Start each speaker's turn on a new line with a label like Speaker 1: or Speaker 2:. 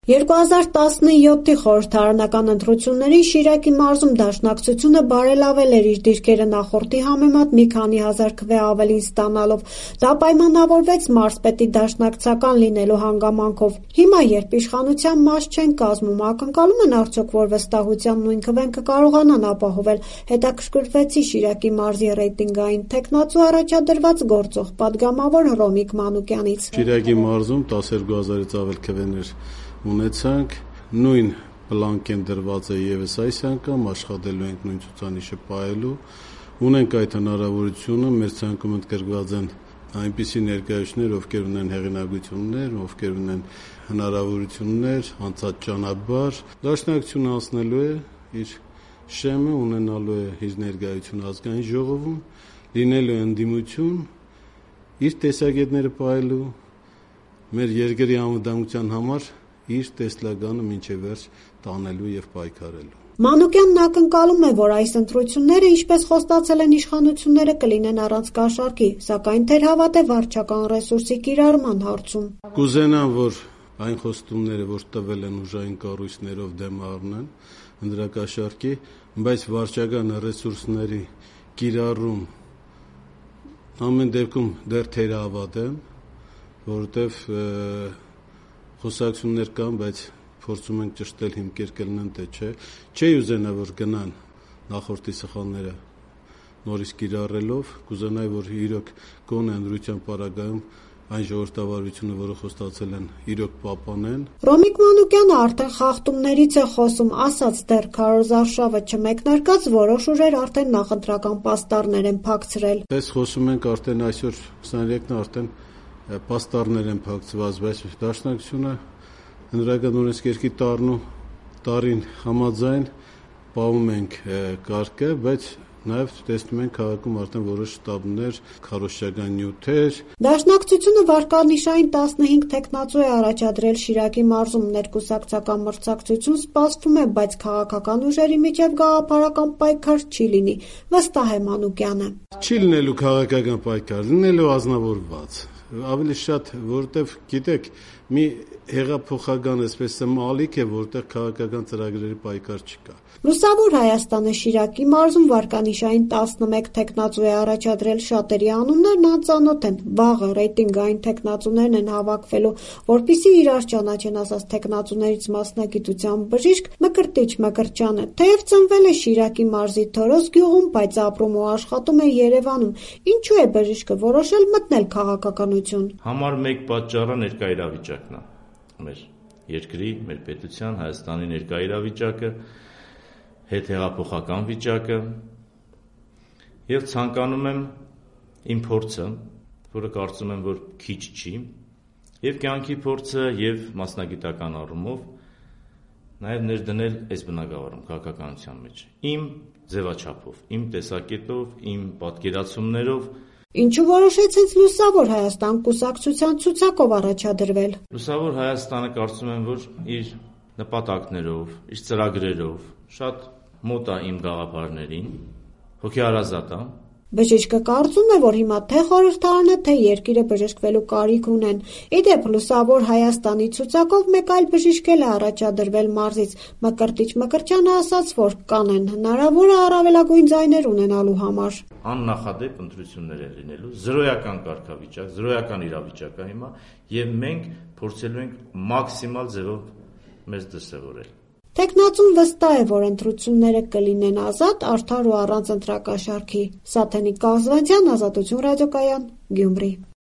Speaker 1: 2017-ի խորհրդարանական ընտրություններին Շիրակի մարզում Դաշնակցությունը բարելավել էր իր դիրքերը նախորդի համեմատ մի քանի հազար քվե ավելին ստանալով: Դա պայմանավորվեց մարզպետի դաշնակցական լինելու հանգամանքով: Հիմա, երբ իշխանության մաս չեն կազմում, ակնկալում են արդյոք, որ վստահության նույն քվեն կկարողանան ապահովել: Հետաքրքրվեցի Շիրակի մարզի ռեյտինգային թեկնածու առաջադրված գործող պատգամավոր Հռոմիկ Մանուկյանից:
Speaker 2: Շիրակի մարզում 12,000-ից ավել քվեներ ունեցանք, նույն պլանկ դրված է ևս այս անգամ, աշխատելու ենք նույն ցուցանիշը պահելու, ունենք այդ հնարավորությունը, մեր ցանկում ընդգրկված են այնպիսի ներկայացուցիչներ, ովքեր ունեն հեղինակություններ, ովքեր ունեն հնարավորություններ, անցած ճանապարհ, Դաշնակցությունը անցնելու է իր շեմը, ունենալու է իր ներկայությունը ազգային ժողովում, լինելու է ընդդիմություն, իր տեսակետները պահելու, մեր երկրի անվտանգության համար իր տեսլականը մինչև վերջ տանելու եւ պայքարելու:
Speaker 1: Մանուկյանն ակնկալում է, որ այս ընտրությունները, ինչպես խոստացել են իշխանությունները, կլինեն առանց կաշառքի, սակայն թերհավատ է վարչական ռեսուրսի կիրառման հարցում:
Speaker 2: Կուզենամ, որ այն խոստումները, որ տվել են ուժային կառույցներով դեմ առնեն ընտրակաշառքի, բայց վարչական ռեսուրսների կիրառում ամեն դեպքում դեռ թերահավատ եմ, որովհետեւ խոսակցություններ կան, բայց փորձում ենք ճշտել հիմքեր կլինեն, թե չէ: Չէի ուզենա, որ գնան նախորդի սխալները նորից կիրառելով, կուզենայի, որ իրոք գոնե ընտրության պարագայում այն ժողովրդավարությունը, որը խոստացել են, իրոք պահպանեն:
Speaker 1: Հռոմիկ Մանուկյանը արդեն խախտումներից է խոսում, ասաց դեռ քարոզարշավը չմեկնարկած որոշ ուժեր արդեն նախընտրական պաստառներ են փակցրել:
Speaker 2: Պես խոսում ենք արդեն այսօր 23-ն է, արդեն պաստառներ են փակցված, բայց Դաշնակցությունը Հանրական օրենսգրքի տարին համաձայն պահում ենք կարգը, բայց նաեւ տեսնում ենք քաղաքում արդեն որոշ շտաբներ, քարոզչական նյութեր:
Speaker 1: Դաշնակցությունը վարկանիշային 15 թեկնածու է առաջադրել Շիրակի մարզում, ներկուսակցական մրցակցություն սպասվում է, բայց քաղաքական ուժերի միջև գաղափարական պայքար չի լինի, վստահ է Մանուկյանը:
Speaker 2: Չի լինելու քաղաքական պայքար, լինելու ազնվորված, ավելի շատ, որովհետեւ գիտեք, մի հեղափոխական ալիք է, որտեղ քաղաքական ծրագրերի պայքար չկա:
Speaker 1: Լուսավոր Հայաստանը Շիրակի մարզում վարկանիշային 11 թեկնածու է առաջադրել, շատերի անուններն անծանոթ են, վաղը ռեյտինգային թեկնածուներն են հավաքվելու, որպեսզի իրար ճանաչեն, ասաց թեկնածուներից մասնագիտությամբ բժիշկ Մկրտիչ Մկրտչյանը: Թեև ծնվել է Շիրակի մարզի Թորոս գյուղում, բայց ապրում ու աշխատում է Երևանում: Ինչու է բժիշկը որոշել մտնել քաղաքականություն:
Speaker 3: Համար մեկ պատճառը ներկա իրավիճակն է, մեր երկրի, մեր պետության, Հայաստանի ներկա իրավիճակը, հետհեղափոխական վիճակը եւ ցանկանում եմ իմ փորձը, որը կարծում եմ, որ քիչ չի, եւ կյանքի փորձը եւ մասնագիտական առումով նաեւ ներդնել այս բնագավառում, քաղաքականության մեջ, իմ ձևաչափով, իմ տեսակետով, իմ պատկերացումներով:
Speaker 1: Ինչու որոշեցիք Լուսավոր Հայաստան կուսակցության ցուցակով առաջադրվել:
Speaker 3: Լուսավոր Հայաստանը կարծում եմ, որ իր նպատակներով, իր ծրագրերով շատ մոտ է իմ գաղափարներին, հոգեհարազատ է:
Speaker 1: Բժիշկը կարծում է, որ հիմա թե խորհրդարանը, թե երկիրը բժշկվելու կարիք ունեն: Ի դեպ, Լուսավոր Հայաստանի ցուցակով մեկ այլ բժիշկ էլ է առաջադրվել մարզից: Մկրտիչ Մկրտչյանը ասաց, որ կանեն հնարավոր է առավելագույն ձայներ ունենալու համար:
Speaker 3: Աննախադեպ ընտրություններ են լինելու, զրոյական կարգավիճակ, զրոյական իրավիճակ է հիմա եւ մենք փորձելու ենք մաքսիմալ ձևով մեզ դրսեւորել:
Speaker 1: Թեկնածուն վստահ է, որ ընտրությունները կլինեն ազատ, արդար ու առանց ընտրակաշառքի: Սաթենիկ Կազբազյան, Ազատություն ռադիոկայան, Գյումրի: